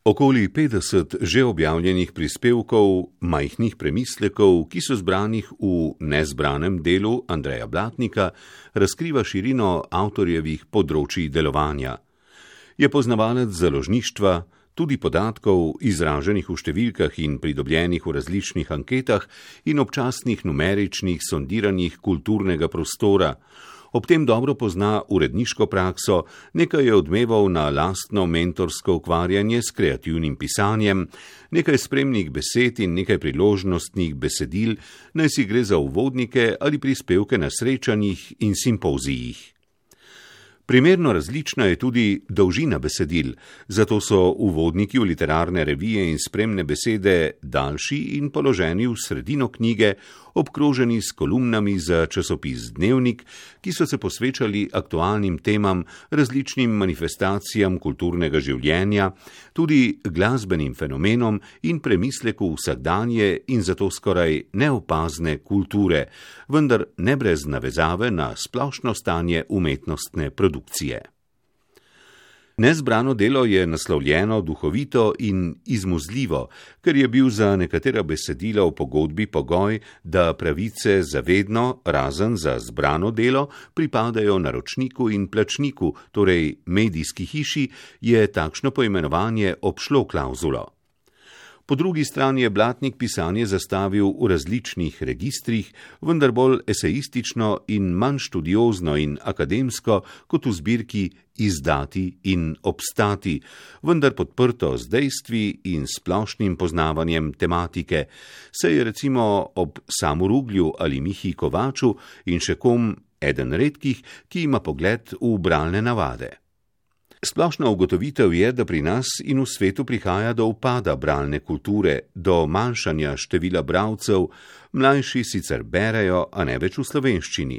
Okoli 50 že objavljenih prispevkov, majhnih premislekov, ki so zbranih v nezbranem delu Andreja Blatnika, razkriva širino avtorjevih področij delovanja. Je poznavalec založništva, tudi podatkov, izraženih v številkah in pridobljenih v različnih anketah in občasnih numeričnih sondiranjih kulturnega prostora. Ob tem dobro pozna uredniško prakso, nekaj je odmeval na lastno mentorsko ukvarjanje s kreativnim pisanjem, nekaj spremnih besed in nekaj priložnostnih besedil, naj si gre za uvodnike ali prispevke na srečanjih in simpozijih. Primerno različna je tudi dolžina besedil, zato so uvodniki v literarne revije in spremne besede daljši in položeni v sredino knjige, obkroženi s kolumnami za časopis Dnevnik, ki so se posvečali aktualnim temam, različnim manifestacijam kulturnega življenja, tudi glasbenim fenomenom in premisleku vsakdanje in zato skoraj neopazne kulture, vendar ne brez navezave na splošno stanje umetnostne produkcije. Nezbrano delo je naslovljeno duhovito in izmuzljivo, ker je bil za nekatera besedila v pogodbi pogoj, da pravice zavedno, razen za zbrano delo, pripadajo naročniku in plačniku, torej medijski hiši, je takšno poimenovanje obšlo klavzulo. Po drugi strani je Blatnik pisanje zastavil v različnih registrih, vendar bolj esejistično in manj študiozno in akademsko kot v zbirki Izdati in obstati, vendar podprto z dejstvi in splošnim poznavanjem tematike, saj je recimo ob Samu Ruglju ali Mihi Kovaču in še kom eden redkih, ki ima pogled v bralne navade. Splošna ugotovitev je, da pri nas in v svetu prihaja do upada bralne kulture, do manjšanja števila bralcev, mlajši sicer berejo, a ne več v slovenščini.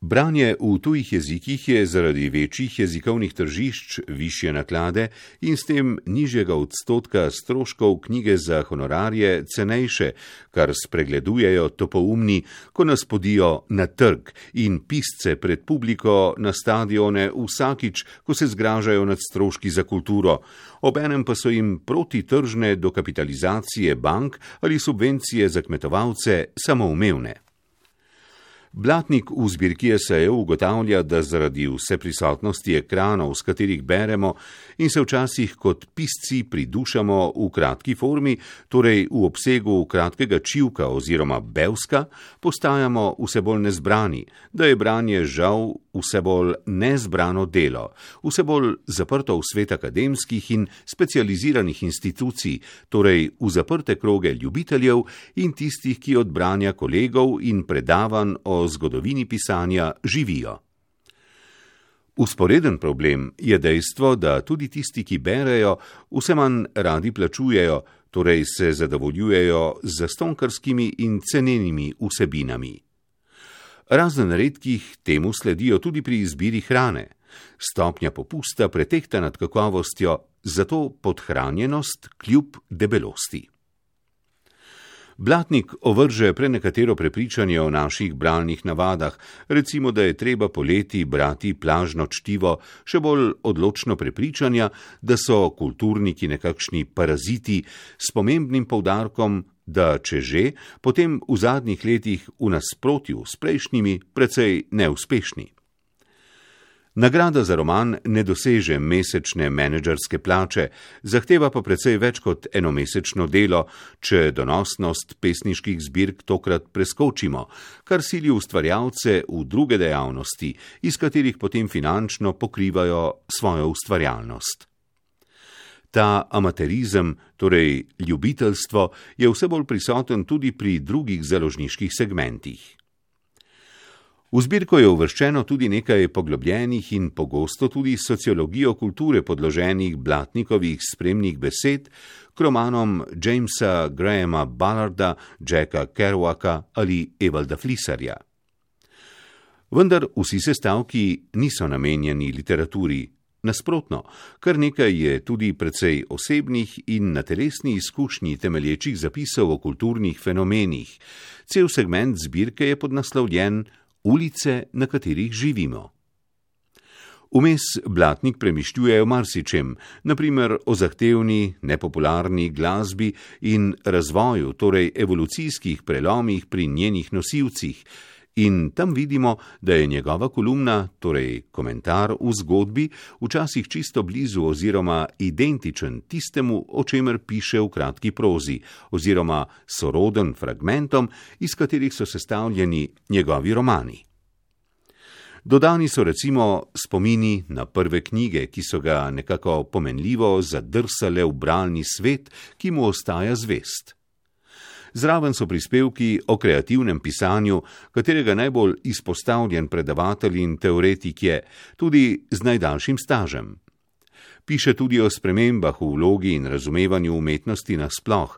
Branje v tujih jezikih je zaradi večjih jezikovnih tržišč, višje naklade in s tem nižjega odstotka stroškov knjige za honorarje cenejše, kar spregledujejo topoumni, ko nas podijo na trg in pisce pred publiko na stadione vsakič, ko se zgražajo nad stroški za kulturo, obenem pa so jim protitržne dokapitalizacije bank ali subvencije za kmetovalce samoumevne. Blatnik v zbirki esejev ugotavlja, da zaradi vseprisotnosti ekranov, s katerih beremo in se včasih kot pisci pridušamo v kratki formi, torej v obsegu kratkega čivka oziroma bevska, postajamo vse bolj nezbrani, da je branje žal vse bolj nezbrano delo, vse bolj zaprto v svet akademskih in specializiranih institucij, torej v zaprte kroge ljubiteljev in tistih, ki od branja kolegov in predavanj o zgodovini pisanja živijo. Vzporeden problem je dejstvo, da tudi tisti, ki berejo, vse manj radi plačujejo, torej se zadovoljujejo z zastonjkarskimi in cenenimi vsebinami. Razen redkih temu sledijo tudi pri izbiri hrane. Stopnja popusta pretehta nad kakovostjo, zato podhranjenost kljub debelosti. Blatnik ovrže prenekatero prepričanje o naših bralnih navadah, recimo, da je treba poleti brati plažno čtivo, še bolj odločno prepričanja, da so kulturniki nekakšni paraziti s pomembnim poudarkom, da če že, potem v zadnjih letih v nasprotju s prejšnjimi precej neuspešni. Nagrada za roman ne doseže mesečne menedžerske plače, zahteva pa precej več kot enomesečno delo, če donosnost pesniških zbirk tokrat preskočimo, kar sili ustvarjalce v druge dejavnosti, iz katerih potem finančno pokrivajo svojo ustvarjalnost. Ta amaterizem, torej ljubiteljstvo, je vse bolj prisoten tudi pri drugih založniških segmentih. V zbirko je uvrščeno tudi nekaj poglobljenih in pogosto tudi sociologijo kulture podloženih Blatnikovih spremnih besed k romanom Jamesa Grahama Ballarda, Jacka Kerouaka ali Evalda Flisarja. Vendar vsi sestavki niso namenjeni literaturi. Nasprotno, kar nekaj je tudi precej osebnih in na telesni izkušnji temelječih zapisov o kulturnih fenomenih. Cel segment zbirke je podnaslovljen Ulice, na katerih živimo. Vmes Blatnik premišljuje o marsičem, naprimer o zahtevni, nepopularni glasbi in razvoju, torej evolucijskih prelomih pri njenih nosilcih. In tam vidimo, da je njegova kolumna, torej komentar v zgodbi, včasih čisto blizu oziroma identičen tistemu, o čemer piše v kratki prozi, oziroma soroden fragmentom, iz katerih so sestavljeni njegovi romani. Dodani so recimo spomini na prve knjige, ki so ga nekako pomenljivo zadrsale v bralni svet, ki mu ostaja zvest. Zraven so prispevki o kreativnem pisanju, katerega najbolj izpostavljen predavatelj in teoretik je, tudi z najdaljšim stažem. Piše tudi o spremembah v vlogi in razumevanju umetnosti nasploh,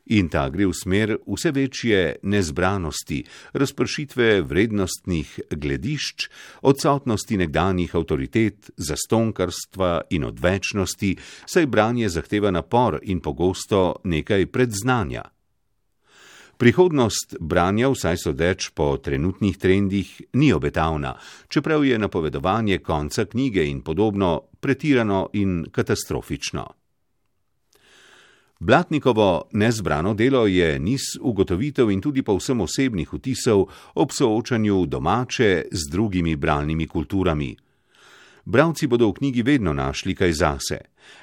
in ta gre v smer vse večje nezbranosti, razpršitve vrednostnih gledišč, odsotnosti nekdanjih avtoritet, zastonkarstva in odvečnosti, saj branje zahteva napor in pogosto nekaj predznanja. Prihodnost branja, vsaj sodeč po trenutnih trendih, ni obetavna, čeprav je napovedovanje konca knjige in podobno pretirano in katastrofično. Blatnikovo nezbrano delo je niz ugotovitev in tudi povsem osebnih vtisov ob soočanju domače z drugimi bralnimi kulturami. Bralci bodo v knjigi vedno našli kaj zase.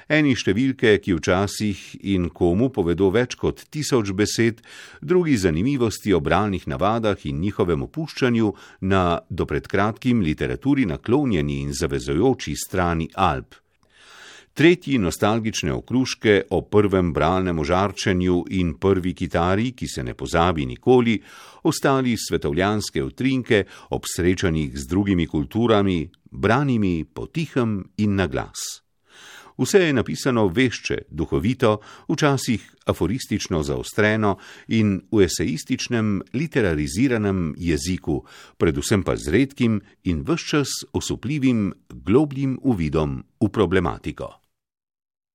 Eni številke, ki včasih in komu povedo več kot 1000 besed, drugi zanimivosti o bralnih navadah in njihovem opuščanju na do pred kratkim literaturi naklonjeni in zavezujoči strani Alp. Tretji nostalgične okruške o prvem bralnem ožarčenju in prvi kitari, ki se ne pozabi nikoli, ostali svetovljanske utrinke ob srečanjih z drugimi kulturami, branimi potihem in na glas. Vse je napisano vešče, duhovito, včasih aforistično zaostreno in v esejističnem, literariziranem jeziku, predvsem pa z redkim in ves čas osupljivim, globljim uvidom v problematiko.